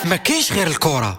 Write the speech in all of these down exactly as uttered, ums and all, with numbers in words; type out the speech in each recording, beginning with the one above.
ما كاينش غير الكرة.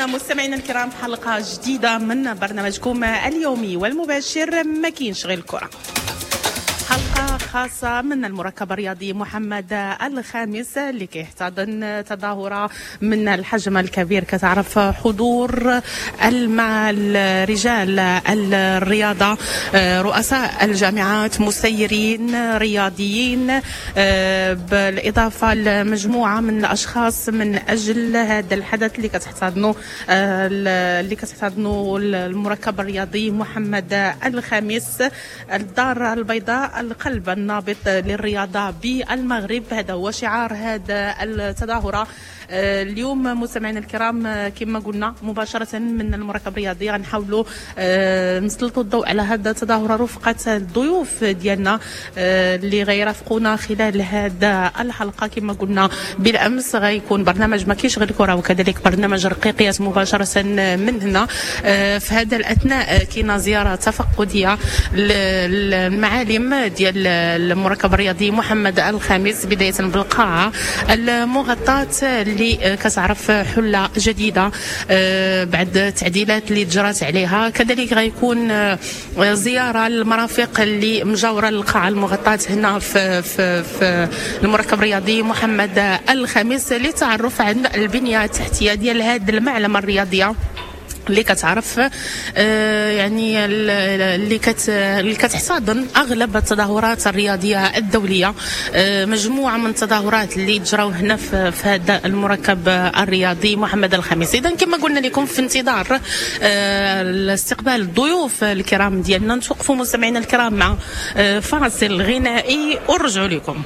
مستمعينا الكرام في حلقة جديدة من برنامجكم اليومي والمباشر ما كاينش غير الكرة. حلقة خاصة من المركب الرياضي محمد الخامس اللي كيحتضن تظاهرة من الحجم الكبير كتعرف حضور مع رجال الرياضة، رؤساء الجامعات، مسيرين رياضيين، بالإضافة لمجموعة من الأشخاص من أجل هذا الحدث اللي كتحتضنوا اللي كتحتضنوا المركب الرياضي محمد الخامس، الدار البيضاء، القلب النابض للرياضة بالمغرب. هذا هو شعار هذا التظاهرة اليوم. مستمعينا الكرام كما قلنا مباشرة من المركب الرياضي غنحاولوا نسلطوا الضوء على هذا التظاهرة رفقة الضيوف ديالنا اللي غيرافقونا خلال هذا الحلقة. كما قلنا بالأمس غيكون برنامج ما كاينش غير الكرة وكذلك برنامج رقيقيات مباشرة من هنا. في هذا الأثناء كاينة زيارة تفقدية للمعالم ديال المركب الرياضي محمد الخامس، بداية بالقاعة المغطاة اللي كتعرف حلة جديدة بعد التعديلات اللي جرات عليها. كذلك غيكون زيارة للمرافق اللي مجاورة للقاعة المغطاة هنا في, في, في المركب الرياضي محمد الخامس للتعرف عن البنية التحتية ديال هذه المعلمة الرياضية اللي كتعرف يعني اللي كت اللي كتحتضن اغلب التظاهرات الرياضية الدولية، مجموعة من التظاهرات اللي تجراو هنا في, في هذا المركب الرياضي محمد الخامس. اذا كما قلنا لكم في انتظار استقبال الضيوف الكرام ديالنا نتوقفوا مستمعينا الكرام مع فاصل غنائي ونرجعوا لكم.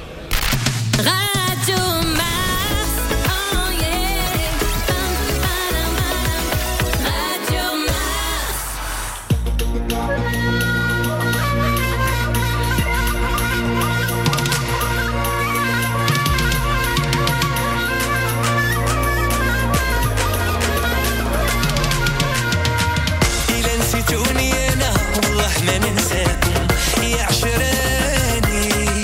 يا عشراني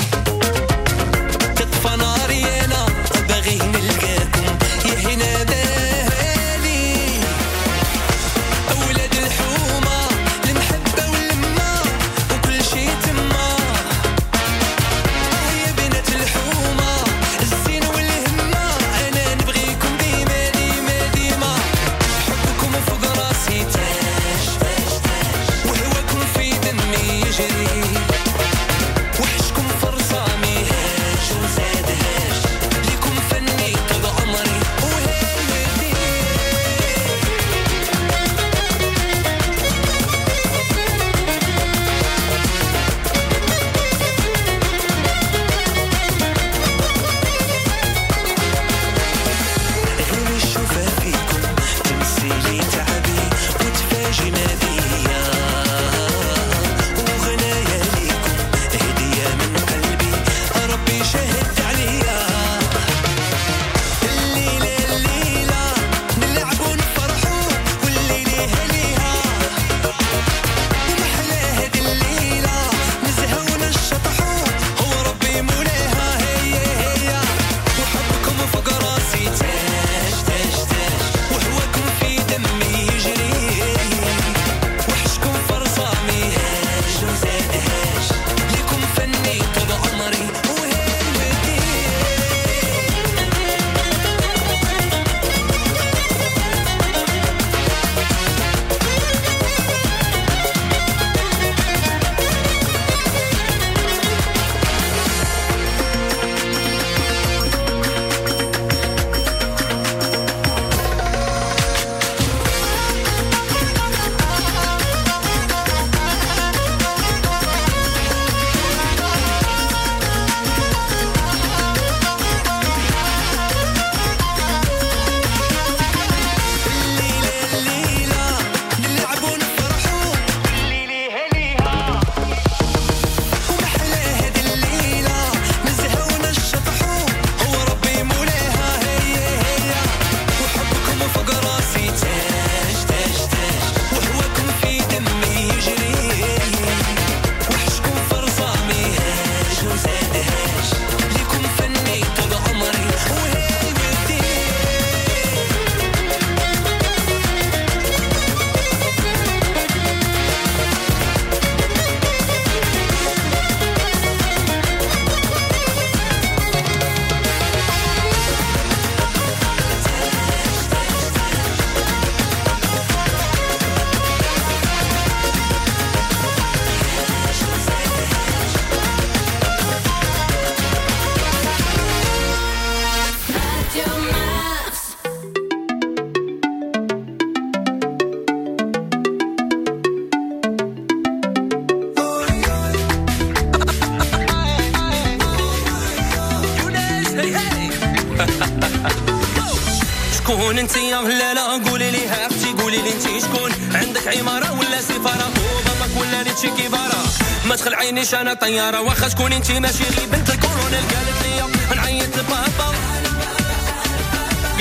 شكون انت يا لا قولي لي اختي، قولي لي انت شكون، عندك عمارة ولا سفارة، وباباك ولا لي كيفارة، ما تخلعينيش انا طيارة، واخا شكون انت ماشي غير بنت الكورونيل. قالت لي نعيط لبابا،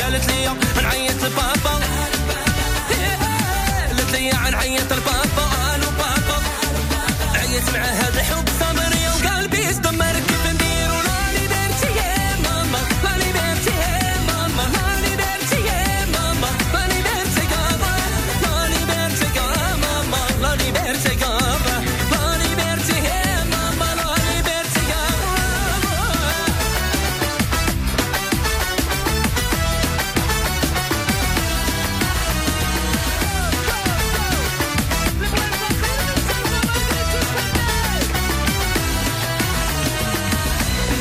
قالت لي نعيط لبابا، قالت لي نعيط لبابا، الو بابا، عيط مع هذا الحب صبري وقلبي استمر، كيف نديرو la liberté ماما، la liberté ماما، la liberté ماما، la liberté كابا، la liberté ماما، la liberté كابا، la liberté ماما، la liberté كابا.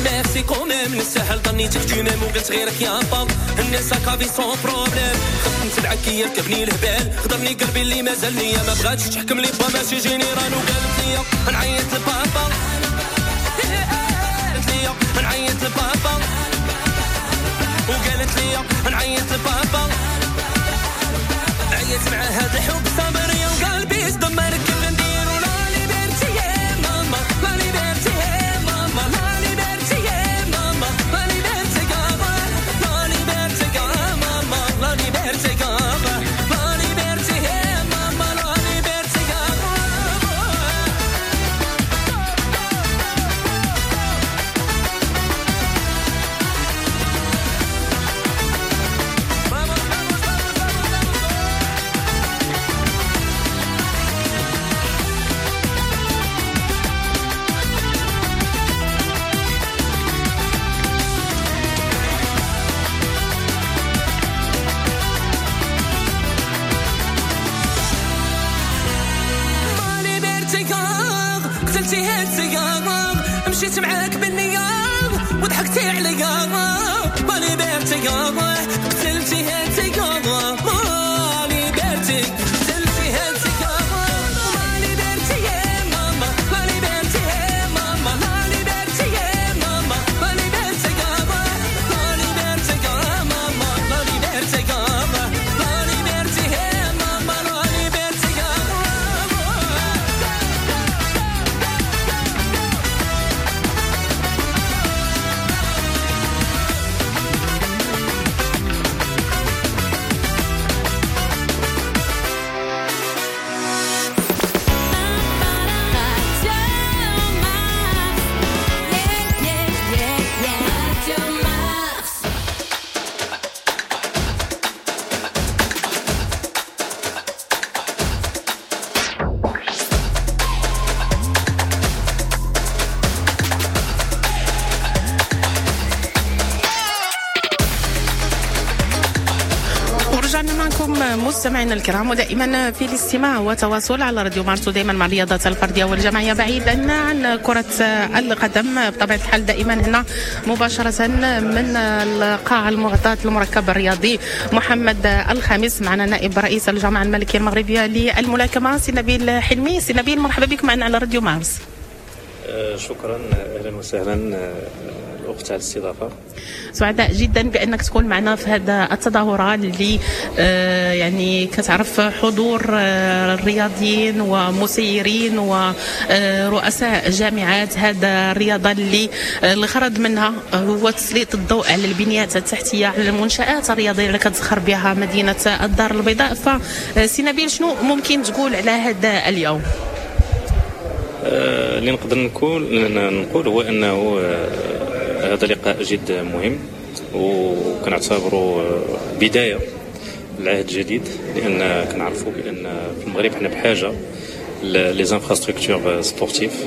merci quand même نسهل ظنيتك tu m'aimes وقلت غيرك يا با الناس كافي sans problème، خفت نتبعك يركبني الهبال، خضرني قلبي اللي مازال ليا، ما بغاتش تحكم لي با ماشي général. وقالت لي نعيط لبابا، قالت لي نعيط لبابا، وقالت لي نعيط لبابا، عيط مع هذا الحب صبري وقلبي استمر، كيف نديرو la liberté ماما، la liberté ماما، la liberté ماما، la liberté كابا، la liberté ماما، la liberté كابا، la liberté ماما، la liberté كابا. ma liberté قتلتي هاد السيارة، مشيت معاك بالنية وضحكتي عليا، ma liberté قتلتي هاد السيارة، ma liberté قتلتي هاد السيارة، ma liberté ماما، la liberté ماما، la liberté ماما، la liberté كابا، la liberté ماما، la liberté كابا، la liberté ماما، la liberté كابا. Radio Mars. Yeah, yeah, yeah, yeah. Radio Mars. ورجعنا معكم مستمعينا الكرام، ودائما في الاستماع وتواصل على راديو مارس، ودائما مع الرياضات الفردية والجماعيه بعيدا عن كره القدم بطبيعة الحال. دائما هنا مباشرة من القاعة المغطاه المركب الرياضي محمد الخامس، معنا نائب رئيس الجامعة الملكية المغربية للملاكمه سي نبيل حلمي. سي نبيل مرحبا بك معنا على راديو مارس. آه، شكرا، اهلا وسهلا آه، الاخت على الاستضافة. سعداء جدا بانك تكون معنا في هذا التظاهرة اللي آه، يعني كتعرف حضور آه، الرياضيين ومسيرين ورؤساء جامعات هذا الرياضة اللي آه، الغرض منها هو تسليط الضوء على البنيات التحتية، على المنشات الرياضية اللي كتزخر بها مدينة الدار البيضاء. فسي نبيل شنو ممكن تقول على هذا اليوم؟ آه، اللي نقدر نقول نقول هو انه آه، هذا لقاء جد مهم، وكنعتبره آه، بداية للعهد الجديد، لان كنعرفوا بان في المغرب حنا بحاجة les infrastructures sportives.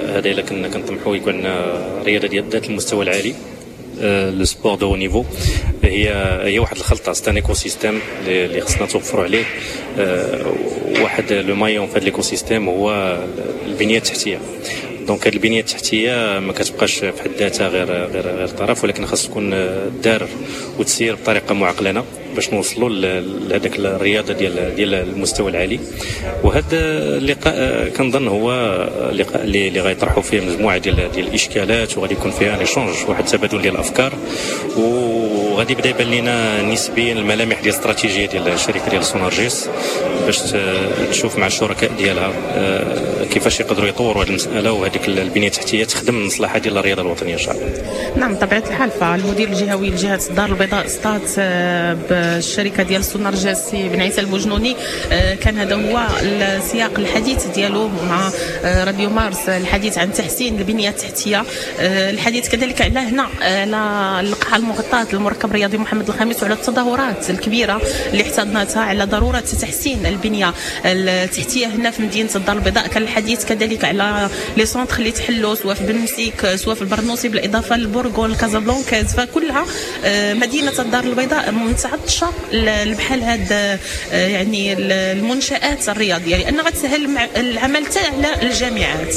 هذا الا كنا كنطمحوا يكون عندنا رياضة ديال ذات المستوى العالي، le sport de haut niveau، هي هي واحد الخلطة، c'est un écosystème اللي خصنا توفروا عليه. آه، واحد le maillon في هذا l'écosystème هو البنية التحتية. donc هذه البنية التحتية ما كتبقاش في حد ذاتها غير غير غير طرف، ولكن خاص تكون دار وتسير بطريقة معقلنه باش نوصلوا لهذاك الرياضة ديال ديال المستوى العالي. وهذا اللقاء كنظن هو لقاء اللي اللي غيطرحوا فيه مجموعة ديال ديال الاشكالات، وغادي يكون فيها un échange، واحد التبادل ديال الافكار، وغادي يبدا يبان لنا نسبيا الملامح ديال الاستراتيجية ديال الشركة ديال سونارجيس باش تشوف مع الشركاء ديالها كيفاش يقدروا يطوروا هذه المسالة وهذيك البنية التحتية تخدم المصلحة ديال الرياضة الوطنية ان شاء الله. نعم بطبيعة الحال، فالمدير الجهوي لجهة الدار البيضاء سطات بالشركة ديال سونارجيس سي بن عيسى البوجنوني كان هذا هو السياق الحديث ديالو مع راديو مارس، الحديث عن تحسين البنية التحتية، الحديث كذلك على هنا على القاعة المغطاه المركب الرياضي محمد الخامس وعلى التظاهرات الكبيرة اللي احتضنتها، على ضرورة تحسين البنية التحتية هنا في مدينة الدار البيضاء. كان الحديث كذلك على les centres اللي تحلوا سواء في بنمسيك سواء في البرنوسي بالاضافة للبورغون كازابلانكا، فكلها مدينة الدار البيضاء متعطشه بحال هاد يعني المنشآت الرياضية، لان غتسهل العمل حتى على الجامعات.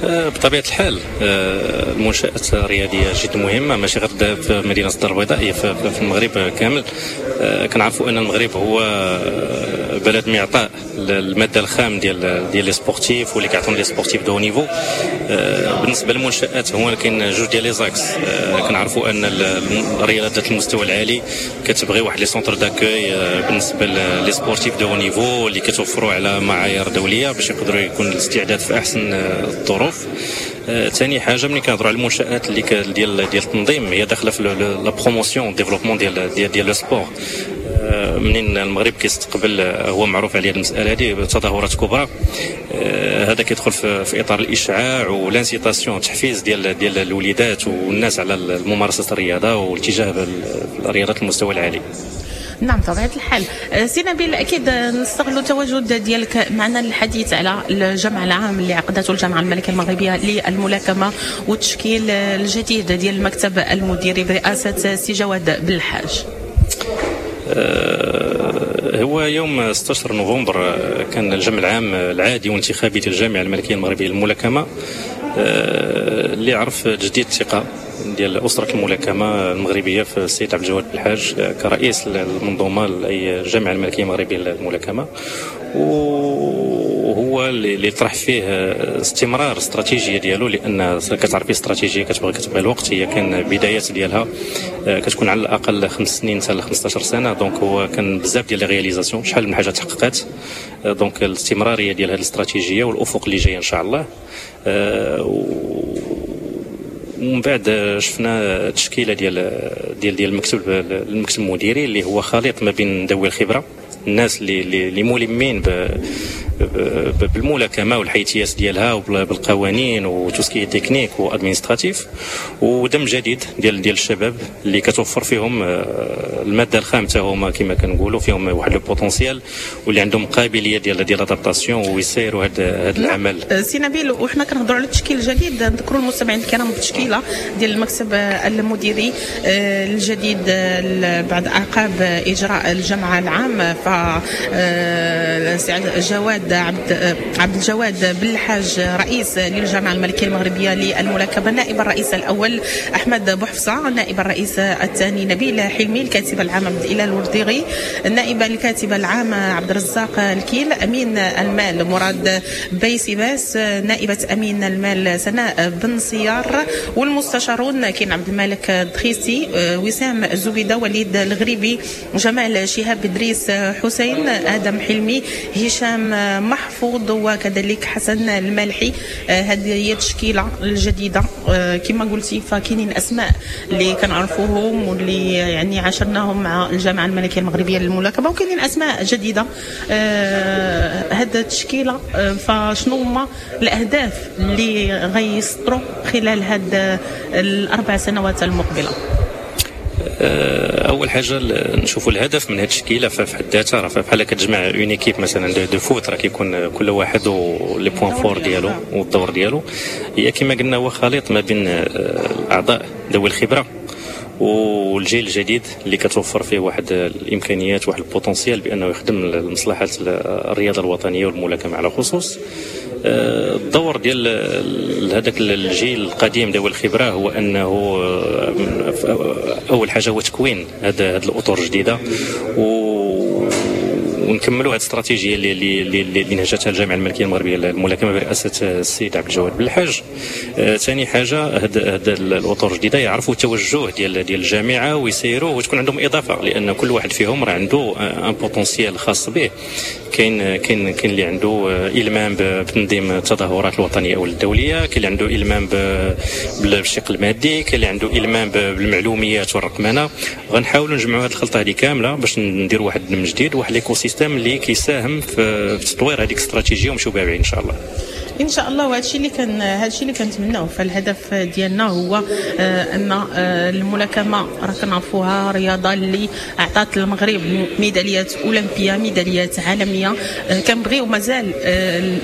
بطبيعة الحال المنشآت الرياضية جد مهمة، ماشي غير في مدينة الدار البيضاء، هي في المغرب كامل. كنعرفوا ان المغرب هو بلد معطاء المادة الخام ديال ديال les sportifs واللي كيعطون les sportifs de haut niveau. بالنسبة للمنشآت هو كاين جوج ديال les axes. كنعرفوا ان الرياضات ذات المستوى العالي كتبغي واحد les centres d'accueil بالنسبة les sportifs de haut niveau اللي كتوفروا على معايير دولية باش يقدروا يكون الاستعداد في احسن الظروف. ثاني حاجة ملي كنهضروا على المنشات اللي ديال ديال التنظيم هي داخله في la promotion développement ديال ديال ديال le sport. منين المغرب كيستقبل هو معروف عليه المسالة هذه تظاهرات كبرى، هذا كيدخل في, في اطار الاشعاع و l'incitation التحفيز ديال ديال الوليدات والناس على ممارسة الرياضة والاتجاه بالرياضات المستوى العالي. نعم بطبيعة الحال. سي نبيل، أكيد نستغل التواجد ديالك معنا للحديث على الجمع العام اللي عقدته الجامعة الملكية المغربية للملاكمة والتشكيل الجديد ديال المكتب المديري برئاسة سي جواد بالحاج. هو يوم ستة عشر نوفمبر كان الجمع العام العادي والانتخابي ديال الجامعة الملكية المغربية للملاكمة اللي عرف تجديد الثقة ديال أسرة الملاكمة المغربية في السيد عبد الجواد بالحاج كرئيس المنظومة أي الجامعة الملكية المغربية للملاكمة، وهو اللي طرح فيه استمرار استراتيجية ديالو، لأن كتعرفي استراتيجية كتبغي كتبغي الوقت، هي كان بدايات ديالها كتكون على الأقل خمس سنين حتى خمسة عشر سنة. donc هو كان بزاف ديال les réalisations، شحال من حاجة تحققات. donc الاستمرارية ديال هذه الاستراتيجية والأفق اللي جاي إن شاء الله. ومن بعد شفنا تشكيله ديال ديال ديال المكتب المكتب المديري اللي هو خليط ما بين ذوي الخبرة، الناس اللي اللي ملمين بالملاكمة والحيثيات ديالها وبالقوانين و tout ce qui est technique و administratif، ودم جديد ديال ديال الشباب اللي كتوفر فيهم المادة الخام حتى هما كما كنقولوا فيهم واحد le potentiel واللي عندهم قابلية ديال ديال l'adaptation ويسيروا هذا هذا العمل. سي نبيل، وحنا كنهضروا على التشكيل الجديد، نذكروا المستمعين الكرام بالتشكيله ديال المكتب المديري الجديد بعد اعقاب اجراء الجمع العام، ف سي جواد عبد عبد الجواد بالحاج رئيس للجامعة الملكية المغربية للملاكمه، نائب الرئيس الاول احمد بوحفصه، نائب الرئيس الثاني نبيل حلمي، الكاتب العام عبد الاله الورديغي، النائب الكاتب العام عبد الرزاق الكيل، امين المال مراد بيسيباس، نائبه امين المال سناء بن سيار، والمستشارون كاين عبد الملك الدخيسي، وسام الزبيده، وليد الغريبي، جمال شهاب ادريس حسين، ادم حلمي، هشام محفوظ، وكذلك حسن المالحي. هذه هي التشكيلة الجديدة كما قلتي، فكاينين اسماء اللي كنعرفوهم واللي يعني عاشرناهم مع الجامعة الملكية المغربية للملاكمه، وكاينين اسماء جديدة. هذه التشكيلة فشنو هما الاهداف اللي غيسطروا خلال هاد الاربع سنوات المقبلة؟ اول حاجة نشوفوا الهدف من هذه التشكيلة في حد ذاتها، راه بحال كتجمع une équipe مثلا de, de foot، راه كيكون كل واحد و les points forts ديالو والدور ديالو. هي كما قلنا هو خليط ما بين الاعضاء ذوي الخبرة والجيل الجديد اللي كتوفر فيه واحد الامكانيات واحد ال potentiel بانه يخدم لمصلحة الرياضة الوطنية والملاكمه على خصوص. الدور ديال هذاك الجيل القديم ذوي الخبرة هو انه اول حاجة هو تكوين هاد الاطر الجديدة و ونكملوا هذه الاستراتيجية اللي اللي اللي نهجتها الجامعة الملكية المغربية للملاكمه برئاسة السيد عبد الجواد بالحاج. ثاني حاجة هاد هاد الاطر الجديدة يعرفوا التوجه ديال ديال الجامعة ويسيروه وتكون عندهم اضافه، لان كل واحد فيهم راه عنده un potentiel خاص به. كاين كاين كاين اللي عنده المام بتنظيم التظاهرات الوطنية او الدولية، كاين اللي عنده المام بالشق المادي، كاين اللي عنده المام بالمعلوميات والرقمنه. غنحاولوا نجمعوا هذه الخلطة هذه كاملة باش نديروا واحد من جديد واحد l'écosystème اللي كيساهم في تطوير هذيك الاستراتيجية ونمشيو بها بعيد ان شاء الله. ان شاء الله. وهذا الشيء اللي كان هذا الشيء اللي كنتمناو. فالهدف ديالنا هو ان الملاكمة راه كنعرفوها رياضة اللي اعطت المغرب ميداليات اولمبيه، ميداليات عالمية. كنبغيو مازال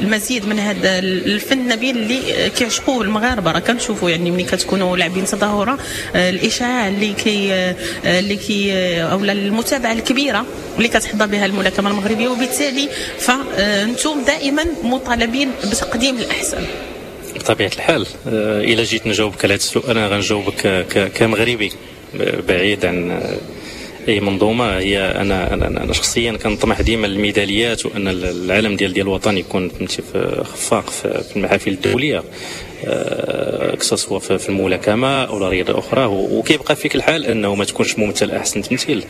المزيد من هذا الفن النبيل اللي كيعشقوه المغاربة. راه كنشوفوا يعني ملي كتكونوا لاعبين تظاهرة الاشعاع اللي كي اللي كي او المتابعة الكبيرة اللي كتحظى بها الملاكمة المغربية، وبالتالي فانتم دائما مطالبين بتقديم الأحسن. بطبيعة الحال إلا جيت نجاوبك على هذا السؤال أنا غنجاوبك كمغربي بعيد عن أي منظومة. هي أنا أنا أنا شخصيا كنطمح ديما للميداليات وأن العالم ديال ديال الوطن يكون فهمتي خفاق في المحافل الدولية، que ce soit في الملاكمة او رياضة اخرى. وكيبقى فيك الحال انه ما تكونش ممثل احسن تمثيل.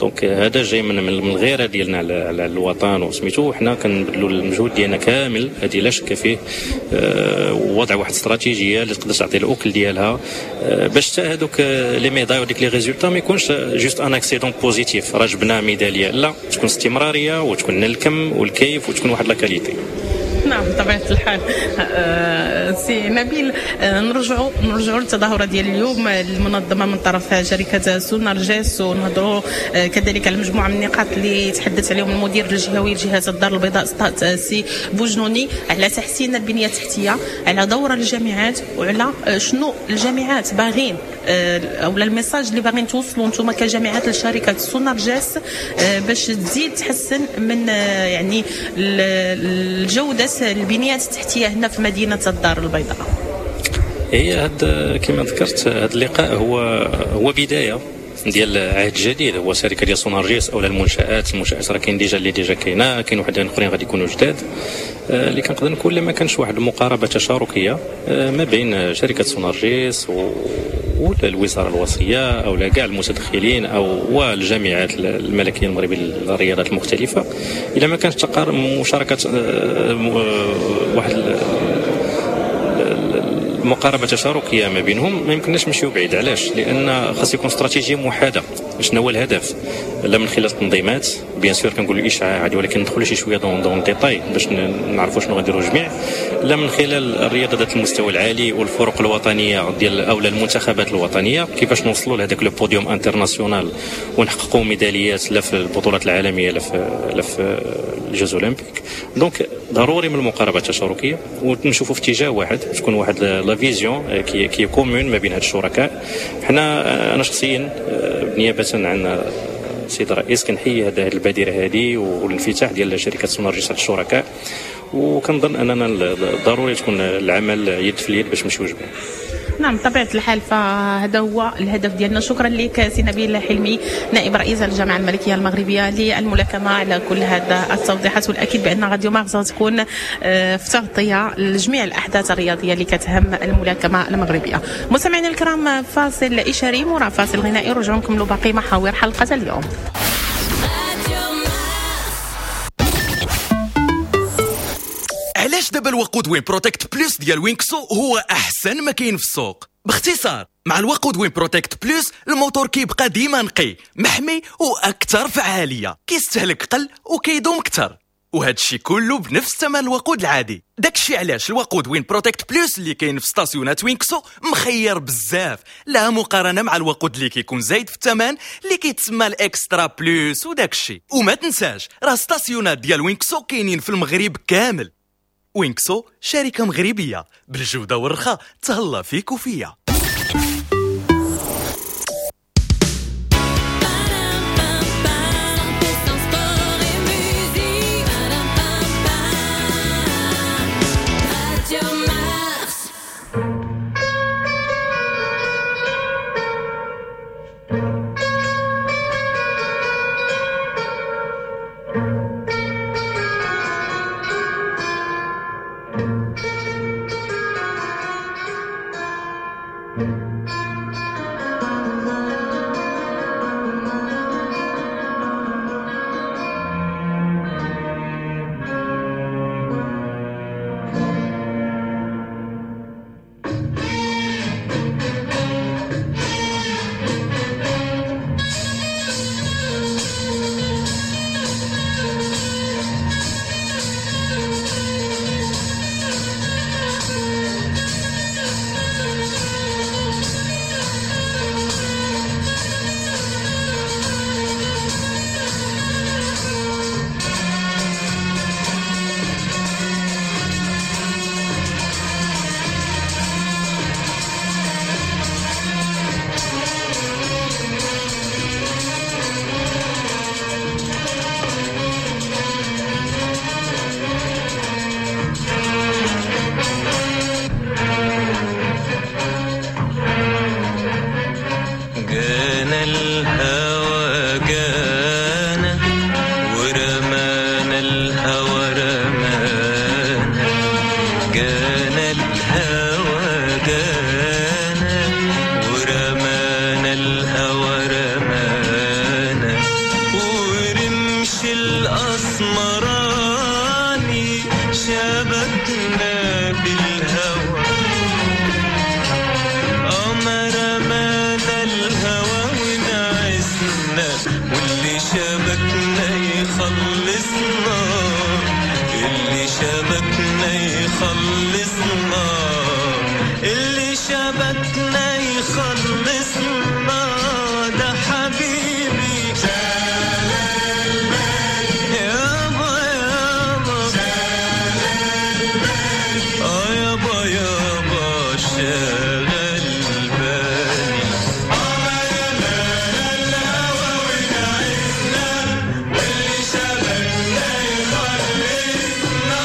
donc هذا جاي من من الغيرة ديالنا على الوطن وسميتو. حنا كنبذلوا المجهود ديالنا كامل، هذه لا شك فيه، ووضع واحد الاستراتيجية اللي تقدر تعطي الاكل ديالها باش حتى هذوك les médailles وديك les résultats ما يكونش juste un accident positif، راه جبنا ميدالية، لا تكون استمرارية وتكون الكم والكيف وتكون واحد la qualité. نعم بطبيعة الحال. أه سي نبيل، أه نرجعوا نرجعوا للتظاهرة ديال اليوم المنظمة من طرف شركة سونارجيس، ونهضروا أه كذلك على مجموعة من النقاط اللي تحدث عليهم المدير الجهوي لجهة الدار البيضاء سي بوجنوني على تحسين البنية التحتية، على دور الجامعات، وعلى شنو الجامعات باغين او ال message اللي باغين توصلوا انتم كجامعات لشركة سونارجيس باش تزيد تحسن من يعني الجودة البنيات التحتية هنا في مدينة الدار البيضاء. هي هاد كما ذكرت هذا اللقاء هو هو بداية ديال عهد جديد. هو شركة ديال سونارجيس او المنشات، المنشات راه كاين déjà اللي déjà كاينه، كاين وحدين اخرين غادي يكونوا جداد. اللي كنقدر نقول ما كانش واحد المقاربة تشاركيه ما بين شركة سونارجيس والوزارة الوصية او كاع المتدخلين او والجامعات الملكية المغربية للرياضات المختلفة، الا ما كانش مشاركة واحد مقاربة تشاركيه ما بينهم ما يمكنناش نمشيو بعيد. علاش؟ لان خاص يكون استراتيجية موحدة. شنو هو الهدف؟ لا من خلال التنظيمات bien sûr كنقولوا الاشعاع عادي، ولكن ندخلوا شي شوية dans dans détail باش نعرفوا شنو غنديروا جميع. لا من خلال الرياضة ذات المستوى العالي والفرق الوطنية ديال او المنتخبات الوطنية، كيفاش نوصلوا لهذاك le podium international ونحققوا ميداليات لا في البطولات العالمية لا في لا في les Jeux olympiques. donc ضروري من المقاربة التشاركيه ونشوفوا في اتجاه واحد، تكون واحد la vision qui qui commune ما بين هاد الشركاء. حنا انا شخصيا بنيابه عن السيد الرئيس كنحيي هذه البادرة هذه والانفتاح ديال شركة سونارجيس على الشركاء، وكنظن اننا ضروري تكون العمل يد في اليد باش نمشيو جميع. نعم بطبيعة الحال، فهذا هو الهدف ديالنا. شكرا لك سي نبيل حلمي نائب رئيس الجامعة الملكية المغربية للملاكمة على كل هذا التوضيحات، والأكيد بأن راديو مارس تكون في تغطية لجميع الأحداث الرياضية اللي كتهم الملاكمة المغربية. مستمعينا الكرام، فاصل إشاري مرا فاصل غنائي، ونرجعوا نكملوا باقي محاور حلقة اليوم. علاش دابا الوقود وين بروتكت بلوس ديال وينكسو هو احسن ما كاين في السوق؟ باختصار، مع الوقود وين بروتكت بلوس الموتور كيبقى ديما نقي، محمي واكثر فعالية، كيستهلك قل وكيدوم اكثر، وهذا الشيء كله بنفس ثمن الوقود العادي. داكشي علاش الوقود وين بروتكت بلوس اللي كاين في ستاسيونات وينكسو مخير بزاف، لا مقارنة مع الوقود اللي كيكون زايد في الثمن اللي كيتسمى ال extra plus وداكشي. وما تنساش راه ستاسيونات ديال وينكسو كاينين في المغرب كامل. وينكسو شركة مغربية بالجودة والرخاء، تهلا فيك وفيا. الأسمراني شبكنا بالهوى، ما رمانا الهوى ونعسنا، واللي شبكنا يخلصنا، اللي شبكنا يخلصنا، اللي شبكنا يخلصنا، ده حبيبي شغال بالي يابا يابا، شغال بالي اه يابا يابا شغال بالي. ما رمانا الهوى ونعسنا، واللي شبكنا يخلصنا،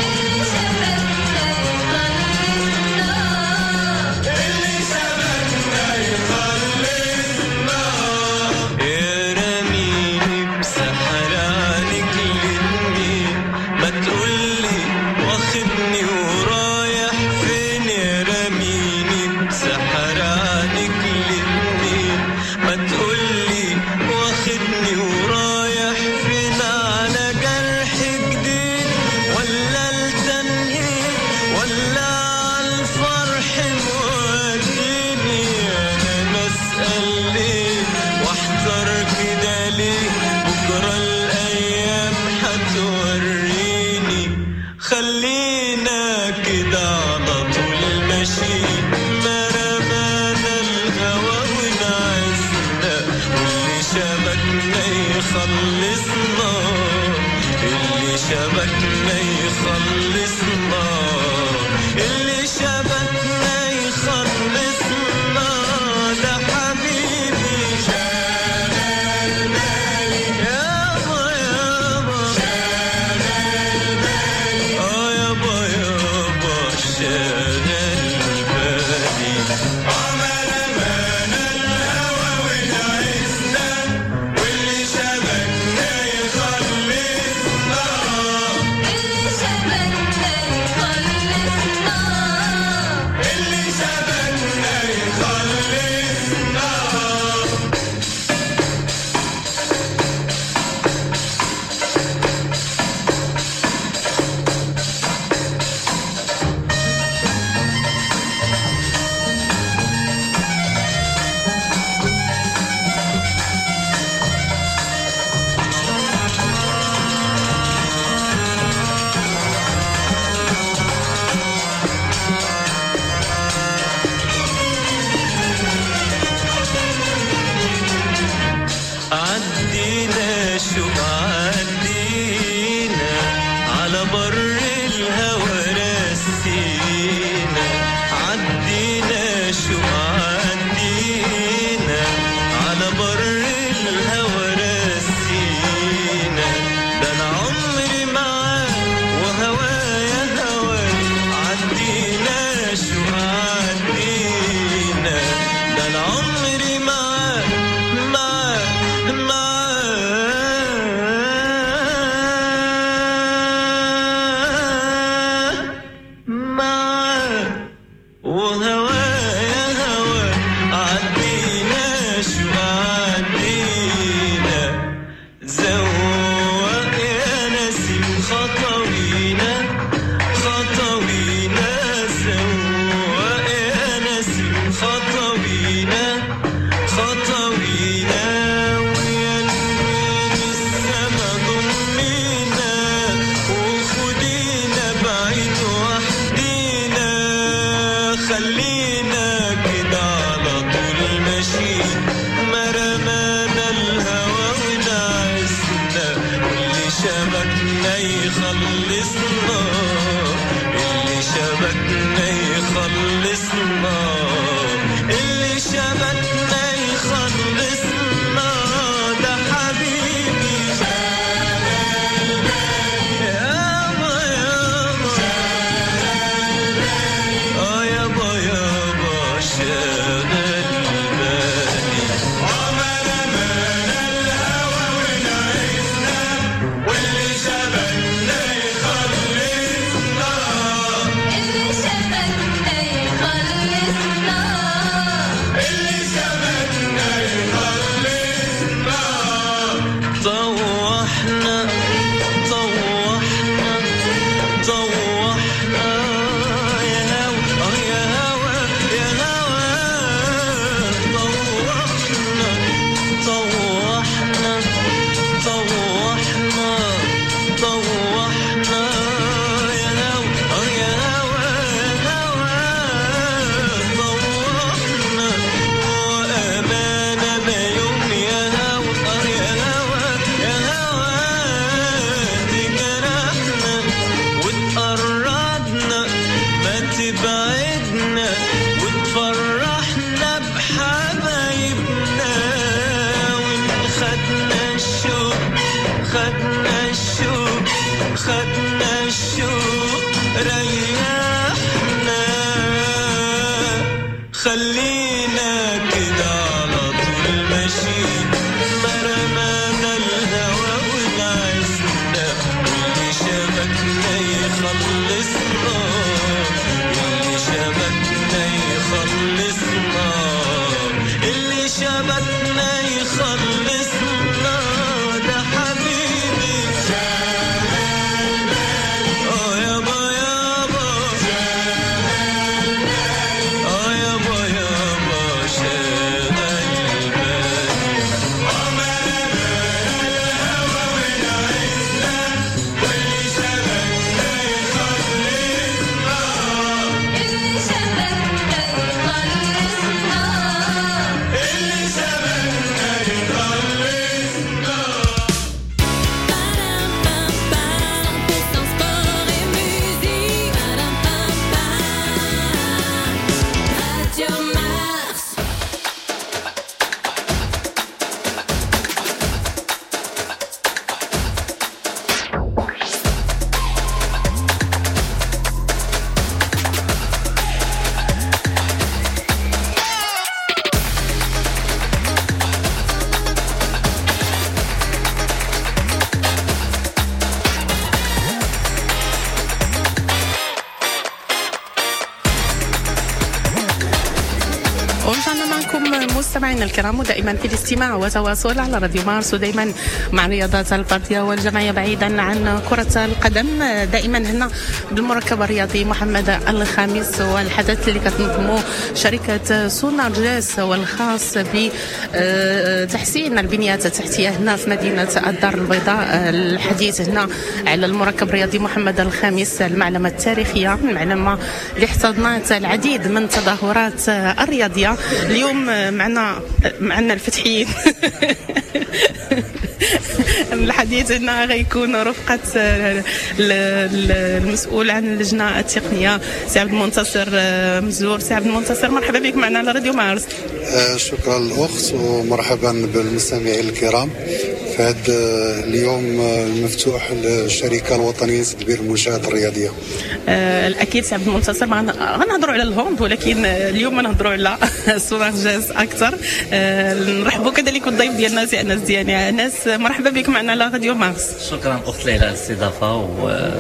اللي شبكنا يخلصنا، اللي شبكنا يخلصنا. يا رميني بسحر عينك الاتنين، ما تقولي واخدني ورايح فين، يا رميني بسحر عينك الاتنين، ما تقولي واخدني ورايح فين، على جرح جديد ولا التنهيد ولا عالفرح موديني، انا بسأل ليه واحتار كده ليه، بكرة الايام هتوريني، خلينا كده على طول ماشيين، ما رمانا الهوى ونعسنا، واللي شبكنا يخلصنا، اللي شبكنا يخلصنا، اللي شبكنا يخلصنا، ده حبيبي شغال بالي يابا يابا، شغال بالي اه يابا يابا شغال بالي. ما رمانا الهوى ونعسنا، واللي شبكنا يخلصنا، اللي شبكنا يخلصنا، بكم مستمعينا الكرام، ودائما في الاستماع وتواصل على راديو مارس، ودائما مع الرياضات الفردية والجماعيه بعيدا عن كره القدم. دائما هنا بالمركب الرياضي محمد الخامس، والحدث اللي كتنظمه شركة سونارجاس والخاص بتحسين البنيات التحتية هنا في مدينة الدار البيضاء. الحديث هنا على المركب الرياضي محمد الخامس، المعلمة التاريخية، المعلمة اللي احتضنت العديد من التظاهرات الرياضية. اليوم معنا معنا الفتحيين. الحديث هنا غيكون رفقة المسؤول عن اللجنة التقنية سي عبد المنتصر مزور. سي عبد المنتصر، مرحبا بك معنا على راديو مارس. شكرا الأخت، ومرحبا بالمستمعين الكرام في هذا اليوم المفتوح للشركة الوطنية لتدبير المنشآت الرياضية. آه الأكيد سي عبد المنتصر غنهضروا على ال hand، ولكن اليوم نهضروا على سونارجاس أكثر. آه نرحبوا كذلك بالضيف ديالنا سي أنس دياني. أنس، مرحبا بك معنا على راديو مارس. شكرا أخت ليلى على الاستضافة، و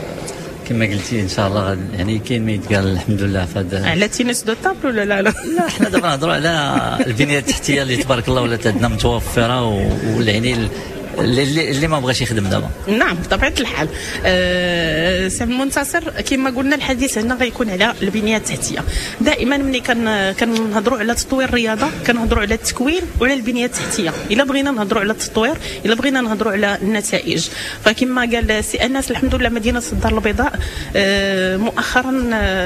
كما قلتي ان شاء الله يعني كاين ما يتقال الحمد لله في هذا على tennis de table ولا لا؟ لا لا، حنا دابا نهضروا على البنية التحتية اللي تبارك الله ولات عندنا متوفرة، ويعني اللي, اللي ما بغاش يخدم دابا. نعم بطبيعة الحال. أه سي المنتصر، كما قلنا الحديث هنا غيكون على البنية التحتية. دائما ملي كان كنهضروا على تطوير الرياضة كنهضروا على التكوين وعلى البنية التحتية. الا بغينا نهضروا على التطوير، الا بغينا نهضروا على النتائج، فكما قال سي انس الحمد لله مدينة الدار البيضاء أه مؤخرا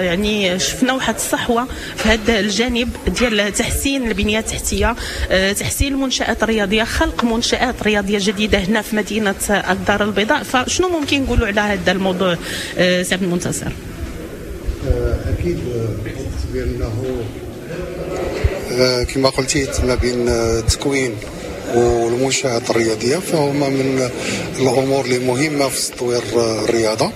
يعني شفنا واحد الصحوة في هذا الجانب ديال تحسين البنية التحتية، أه تحسين المنشات الرياضية، خلق منشات رياضية جديدة هنا في مدينة الدار البيضاء. فشنو ممكن نقولوا على هذا الموضوع سي عبد المنتصر؟ أكيد بأنه كما قلتي ما بين التكوين والمنشآت الرياضية فهما من الأمور اللي مهمة في تطوير الرياضة.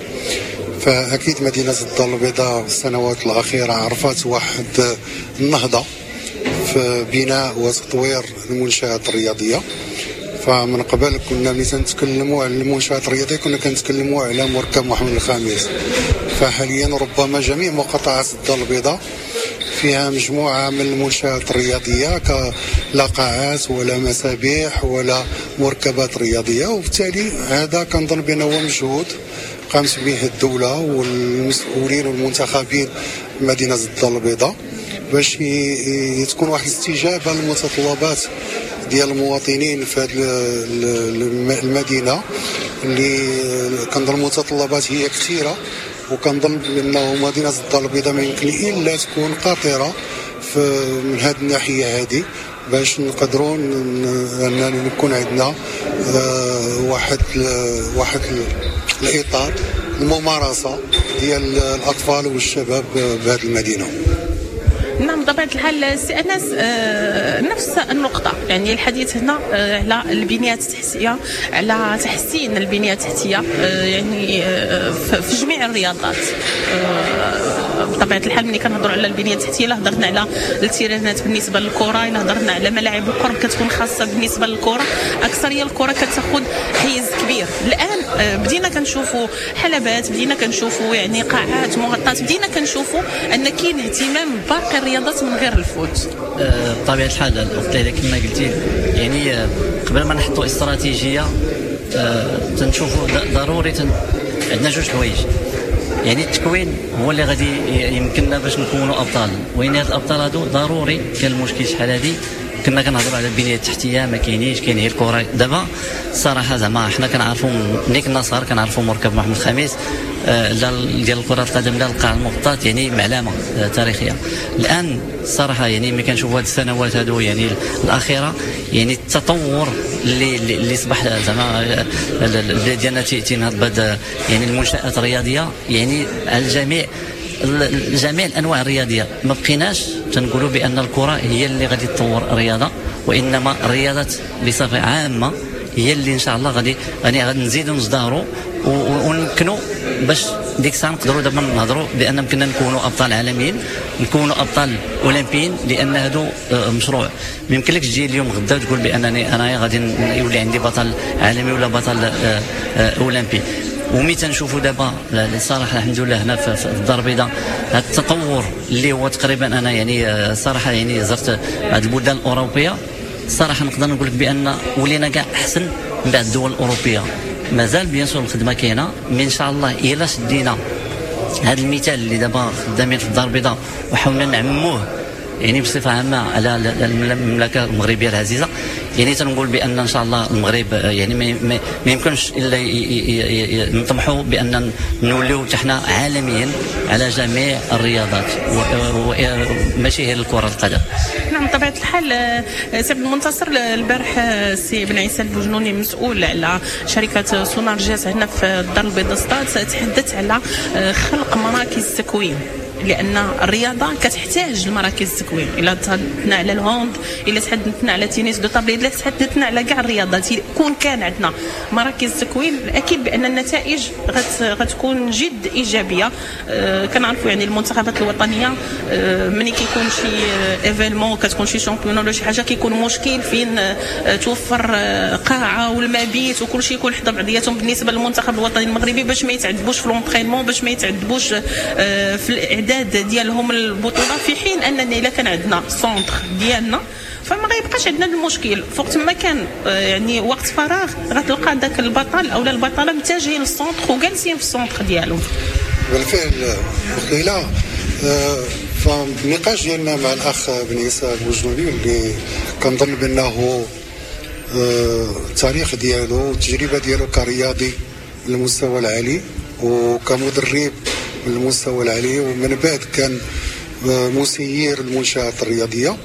فأكيد مدينة الدار البيضاء السنوات الأخيرة عرفت واحد النهضة في بناء وتطوير المنشآت الرياضية. فمن قبل كنا ملي تنتكلموا على المنشآت الرياضية كنا كنتكلموا على مركب محمد الخامس. فحاليا ربما جميع مقاطعات الدار البيضاء فيها مجموعة من المنشآت الرياضية، كلا قاعات ولا مسابيح ولا مركبات رياضية، وبالتالي هذا كنظن بأنه هو مجهود قامت به الدولة والمسؤولين والمنتخبين مدينة الدار البيضاء باش تكون واحد الاستجابة للمتطلبات ديال المواطنين في هذه المدينة اللي كنظن المتطلبات هي كثيرة، وكنظن بانه مدينة الدار البيضاء ما يمكن الا تكون قاطره من هذه الناحية هذه باش نقدروا ان نكون عندنا واحد واحد الاطار الممارسة ديال الاطفال والشباب بهذه المدينة. نعم بطبيعة الحال سي أنس، نفس النقطة، يعني الحديث هنا على البنيات التحتية، على تحسين البنية التحتية يعني في جميع الرياضات. بطبيعة الحال ملي كنهضروا على البنية التحتية لا هضرنا على التيرانات بالنسبة للكرة، الا هضرنا على ملاعب القرب كتكون خاصة بالنسبة للكرة، أكثرية الكرة كتاخذ حيز كبير. الآن بدينا كنشوفوا حلبات، بدينا كنشوفوا يعني قاعات مغطاة، بدينا كنشوفوا أن كاين اهتمام باقي الرياضات من غير الفوت. بطبيعة الحال الأخت ليلى كما قلتي، يعني قبل ما نحطوا استراتيجية تنشوفوا ضروري تن... عندنا جوج حوايج، يعني التكوين هو اللي غادي يمكننا باش نكونوا ابطال، وين هاد الابطال هادو ضروري. كان المشكل شحال هادي كنا كنهضروا على البنية التحتية ما كاينينش، كاين غير الكره. دابا الصراحة زعما حنا كنعرفوا ملي كنا صغار كنعرفوا مركب محمد الخامس لا ديال كره القدم لا القاع المغطاة، يعني معلمه تاريخية. الان الصراحة يعني ملي كنشوفوا هاد السنوات هادو يعني الاخيرة، يعني التطور اللي اللي صبح زعما البلاد ديالنا تينهض بهاد يعني المنشات الرياضية، يعني على الجميع جميع الانواع الرياضية. ما بقيناش تنقولوا بان الكره هي اللي غادي تطور الرياضة، وانما الرياضات بصفة عامة هي اللي ان شاء الله غادي غادي نزيدوا نزدهروا ونمكنوا باش ديك الساعة نقدروا دابا نهضروا بان يمكننا نكونوا ابطال عالميين، نكونوا ابطال اولمبيين، لان هادو مشروع. ما يمكنلكش تجي اليوم غدا وتقول بانني انا غادي يولي عندي بطل عالمي ولا بطل اولمبي. وملي تنشوفوا دابا الصراحة الحمد لله هنا في الدار البيضاء هذا التطور اللي هو تقريبا انا يعني صراحة يعني زرت بعض البلدان الاوروبية، الصراحة نقدر نقول لك بان ولينا كاع احسن من بعض الدول الاوروبية. مازال bien sûr الخدمة كاينه، mais ان شاء الله الا شدينا هذا المثال اللي دابا خدامين في الدار البيضاء وحاولنا نعمموه يعني بصفة عامة على المملكة المغربية العزيزة، يعني تنقول بان ان شاء الله المغرب يعني ما يمكنش الا نطمحوا بان نوليو حتى حنا عالميا على جميع الرياضات وماشي غير الكره القدم. نعم بطبيعة الحال. سي عبد المنتصر، البارح السي بن عيسى البوجنوني مسؤول على شركة سونارجيس هنا في الدار البيضاء سطات تحدث على خلق مراكز التكوين، لان الرياضة كتحتاج لمراكز التكوين. الا تحدثنا على ال hand، الا تحدثنا على tennis de table، الا تحدثنا على كاع الرياضات، كون كان عندنا مراكز التكوين اكيد بان النتائج غت غتكون جد ايجابية. أه كنعرفوا يعني المنتخبات الوطنية أه ملي كيكون شي événement، كتكون شي championnat ولا شي حاجة، كيكون مشكل فين أه توفر قاعة والمبيت وكل شيء يكون حدا بعضياتهم بالنسبة للمنتخب الوطني المغربي باش ما يتعذبوش في l'entraînement، باش ما يتعذبوش أه في الاعداد ديالهم البطولة، في حين اننا الا كان عندنا centre ديالنا فما غيبقاش عندنا المشكل. فوقت ما كان يعني وقت فراغ غتلقى ذاك البطل او البطلة متجهين لل centre وجالسين في ال centre ديالهم. بالفعل ليلى، فالنقاش ديالنا مع الاخ بن عيسى البوجنوني اللي كنظن بانه التاريخ ديالو والتجربة ديالو كرياضي من المستوى العالي وكمدرب من المستوى العالي، ومن بعد كان مسير المنشآت الرياضية.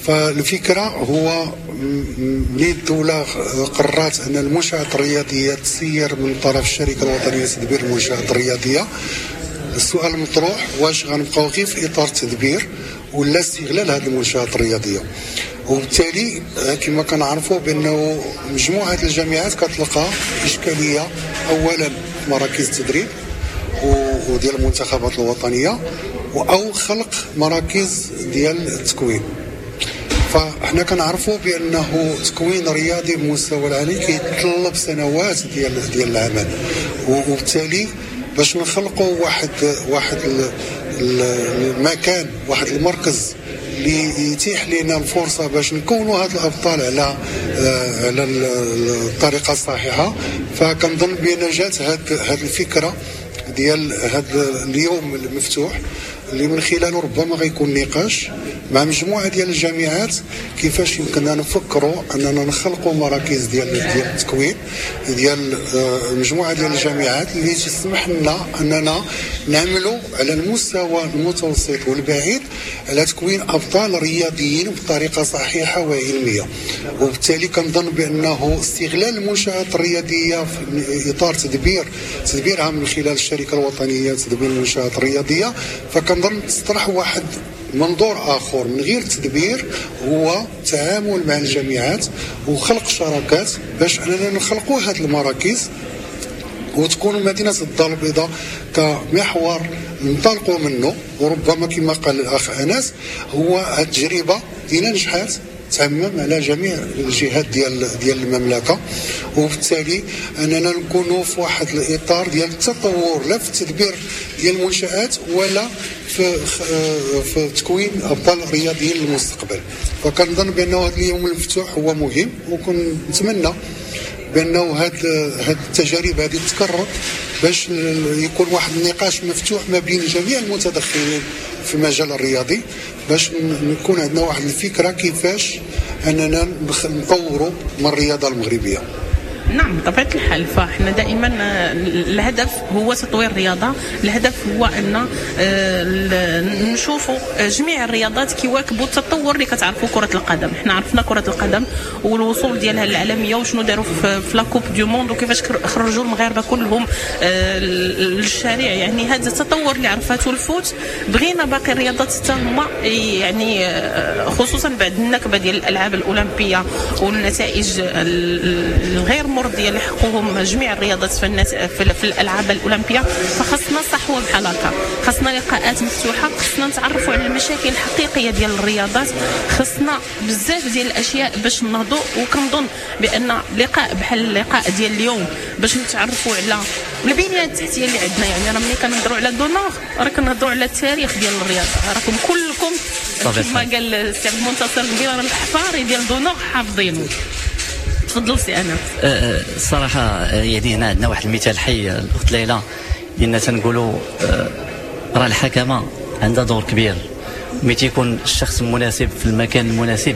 فالفكرة هو ملي الدولة قررت أن المنشآت الرياضية تسير من طرف الشركة الوطنية لتدبير المنشآت الرياضية، السؤال المطروح واش غنبقاو غير في إطار التدبير ولا استغلال هذه المنشآت الرياضية؟ وبالتالي كما كنعرفوا بأنه مجموعة الجامعات كتلقى إشكالية أولا في مراكز التدريب وديال المنتخبات الوطنية او خلق مراكز ديال التكوين. فاحنا كنعرفوا بانه تكوين رياضي بمستوى العالي كيتطلب سنوات ديال ديال العمل، وبالتالي باش نخلقوا واحد واحد المكان، واحد المركز اللي يتيح لنا الفرصة باش نكونوا هاد الابطال على على الطريقة الصحيحة. فكنظن بان جات هاد هاد الفكرة ديال هذا اليوم المفتوح اللي من خلاله ربما غيكون نقاش مع مجموعة ديال الجامعات كيفاش يمكننا نفكروا اننا نخلقوا مراكز ديال ديال التكوين ديال مجموعة ديال الجامعات اللي تسمح لنا اننا نعملوا على المستوى المتوسط والبعيد على تكوين ابطال رياضيين بطريقة صحيحه وعلميه. وبالتالي كنظن بانه استغلال المنشآت الرياضية في اطار تدبير تدبيرها من خلال الشركة الوطنية لتدبير المنشآت الرياضية، فكنظن تطرح واحد منظور اخر من غير التدبير، هو التعامل مع الجامعات وخلق شراكات باش اننا نخلقوا هذه المراكز وتكون مدينة الدار البيضاء كمحور ننطلقوا منه. وربما كما قال الاخ انس هو التجربة الى نجحات تعمم على جميع الجهات ديال ديال المملكة، وبالتالي اننا نكونوا في واحد الاطار ديال التطور لا في التدبير ديال المنشآت ولا في في تكوين ابطال رياضيين للمستقبل. فكنظن بانه هذا اليوم المفتوح هو مهم، وكنتمنى بانه هاد هاد التجارب هذه تتكرر باش يكون واحد النقاش مفتوح ما بين جميع المتدخلين في المجال الرياضي باش نكون عندنا واحد الفكرة كيفاش اننا نطوروا من الرياضة المغربية. نعم بطبيعة الحال، فاحنا دائما الهدف هو تطوير الرياضة، الهدف هو أن نشوفوا جميع الرياضات كيواكبوا التطور اللي كتعرفوا كرة القدم. احنا عرفنا كرة القدم والوصول ديالها للعالمية وشنو داروا في la Coupe du monde وكيفاش خرجوا المغاربة كلهم للشارع، يعني هذا التطور اللي عرفته ال foot. بغينا باقي الرياضات حتى هما يعني خصوصا بعد النكبة ديال الألعاب الأولمبية والنتائج الغير المرضية اللي حققوهم جميع الرياضات في, الناس في, في الالعاب الاولمبية، فخصنا صحوة بحال هكا، خصنا لقاءات مفتوحة، خصنا نتعرفوا على المشاكل الحقيقية ديال الرياضات، خصنا بزاف ديال الاشياء باش نهضوا. وكنظن بان لقاء بحال اللقاء ديال اليوم باش نتعرفوا على البنية التحتية اللي عندنا، يعني راه ملي كنهضروا على d'honneur راه كنهضروا على التاريخ ديال الرياضة، راكم كلكم كما قال السي عبد المنتصر قبيلة راه الحفاري ديال d'honneur حافظينه. تفضل سي انس. الصراحة يعني هنا عندنا واحد المثال حي الاخت ليلى، لان تنقولوا راه الحكمة عندها دور كبير، ملي تيكون الشخص المناسب في المكان المناسب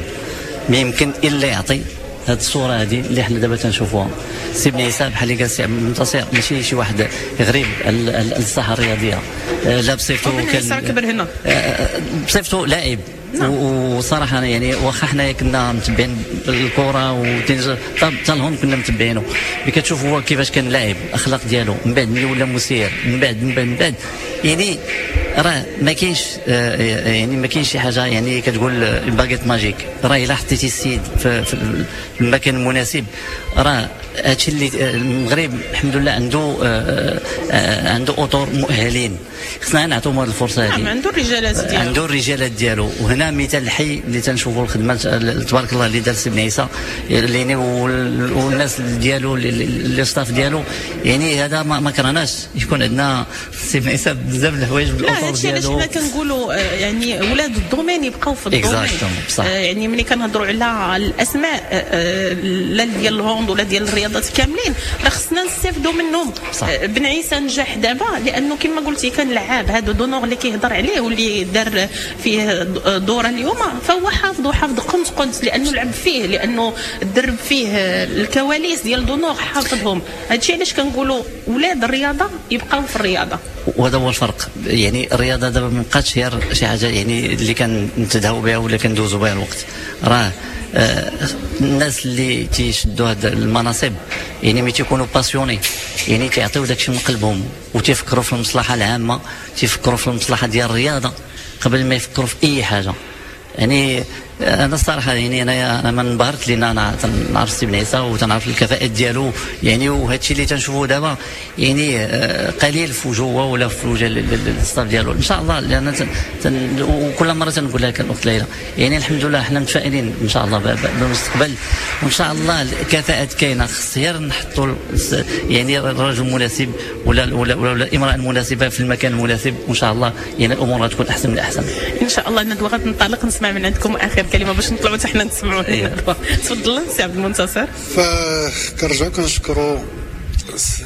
ما يمكن الا يعطي هذه الصورة هذه اللي حنا دابا تنشوفوها. سي بن عيسى بحال اللي قال سي عبد المنتصر ماشي شي واحد غريب على الساحة الرياضية، لا بصفته كان كبر هنا، بصفته لاعب. نعم. وصراحة يعني واخا حنايا كنا متبعين الكره حتى الهون كنا متبعينه، ملي كتشوف هو كيفاش كان لاعب، الاخلاق ديالو، من بعد ملي ولا مسير، من بعد من بعد من بعد يعني راه ما كاينش يعني ما كاينش شي حاجة يعني كتقول baguette magique. راه الا حطيتي السيد في, في المكان المناسب راه هادشي اللي المغرب الحمد لله عنده عنده اطر مؤهلين، خصنا نعطيهم هذه الفرصة هذه. نعم عنده الرجالات ديالو، عنده الرجالات ديالو. وهنا مثال الحي اللي تنشوفوا الخدمة تبارك الله اللي دار سي بن عيسى يعني والناس ديالو les staff ديالو، يعني هذا ما, ما كرهناش يكون عندنا سي بن عيسى بزاف الحوايج بالاطر ديالو. علاش حنا كنقولوا يعني ولاد ال domaine يبقاو في ال domaine. يعني ملي كنهضروا على الاسماء لا ديال ال hand ولا ديال الرياضات كاملين راه خصنا نستافدوا منهم. صح. بن عيسى نجح دابا لانه كما قلتي كان لعاب، هذا d'honneur اللي كيهضر عليه واللي دار فيه دوره اليوم فهو حافظ وحافظ قنت قنت لانه لعب فيه، لانه درب فيه الكواليس ديال d'honneur حافظهم. هادشي علاش كنقولوا ولاد الرياضة يبقاو في الرياضة، وهذا هو الفرق. يعني الرياضة دابا ما بقاتش غير شي حاجة يعني اللي كنتدهوا بها ولا كندوزوا بها الوقت، راه آه الناس اللي تيشدوا هاد المناصب يعني ملي تيكونوا passionnés يعني تيعطيو داكشي من قلبهم وتيفكروا في المصلحة العامة، تيفكروا في المصلحة ديال الرياضة قبل ما يفكروا في اي حاجة. يعني انا الصراحة يعني انا انا ما انبهرت لان انا تنعرف سي بن عيسى وتنعرف الكفاءات ديالو، يعني وهذا الشيء اللي تنشوفوه دابا يعني قليل في وجوه ولا في وجه ال staff ديالو ان شاء الله. لان تن تن وكل مرة تنقول لك الاخت ليلى يعني الحمد لله حنا متفائلين ان شاء الله بالمستقبل، وان شاء الله الكفاءات كاينه، خص غير نحطوا يعني الرجل المناسب ولا ولا ولا الامراة المناسبة في المكان المناسب، وان شاء الله يعني الامور غتكون احسن من الاحسن ان شاء الله. ندوه غتنطلق نسمع من عندكم اخر كلمة باش نطلعوا حتى حنا نسمعوا. تفضل سي عبد المنتصر. فكنرجعوا كنشكروا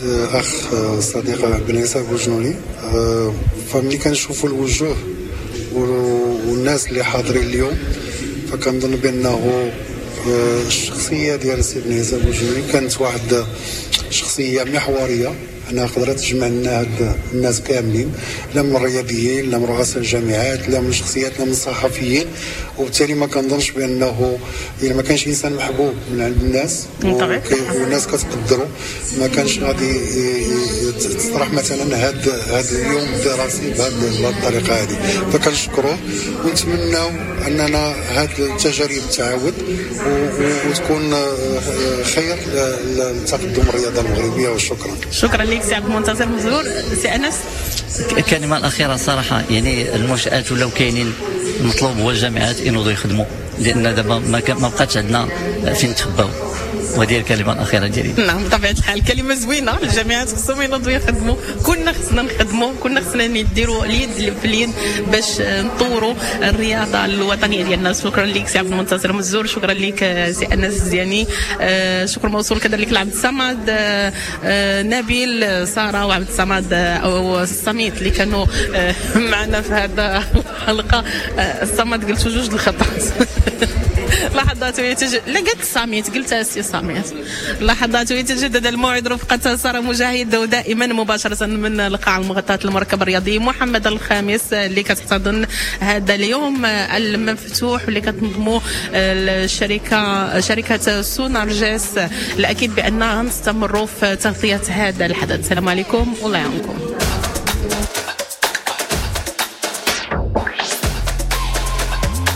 اخ صديق بن عيسى بوجنوني. فملي كنشوفوا الوجوه والناس اللي حاضرين اليوم فكنظن بانه الشخصية ديال سي بن عيسى بوجنوني كانت واحد شخصية محورية، انها قدرت تجمع لنا هاد الناس كاملين، لا من الرياضيين لا من رؤساء الجامعات لا من شخصيات لا من الصحفيين. وبالتالي ما كنظنش بانه الا ما كانش انسان محبوب من عند الناس والناس كتقدروا ما كانش غادي تطرح مثلا هاد هاد اليوم الدراسي بهذه الطريقة هذه. فكنشكروه ونتمناو اننا هاد التجارب تعاود وتكون خير لتقدم الرياضة المغربية. وشكرا. شكرا لك سي عبد المنتصر مزور. سي انس الكلمة الاخيرة صراحة يعني المنشات ولاو كاينين، المطلوب هو الجامعات ينوضوا يخدموا، لان دابا ما بقاتش عندنا فين نتخباو. وهذه الكلمة الاخيرة ديالي. نعم بطبيعة الحال كلمة زوينة، الجامعات خصهم ينوضوا يخدموا، كنا خصنا نخدموا، كنا خصنا نديروا اليد في اليد باش نطوروا الرياضة الوطنية ديالنا. شكرا لك سي عبد المنتصر مزور، شكرا لك سي انس الزياني، شكر موصول كذلك لعبد الصمد نبيل ساره وعبد الصمد او الصميت اللي كانوا معنا في هذا الحلقة. الصمد قلت جوج الخطات لحظات ويتجدد، لا قلت الصميت قلت السي صميت. لحظات ويتجدد الموعد رفقة سارة مجاهد ودائما مباشرة من القاعة المغطاة المركب الرياضي محمد الخامس اللي كتحتضن هذا اليوم المفتوح واللي كتنظمه الشركة شركة سونارجيس. الأكيد بأننا نستمروا في تغطية هذا الحدث. السلام عليكم والله يعاونكم.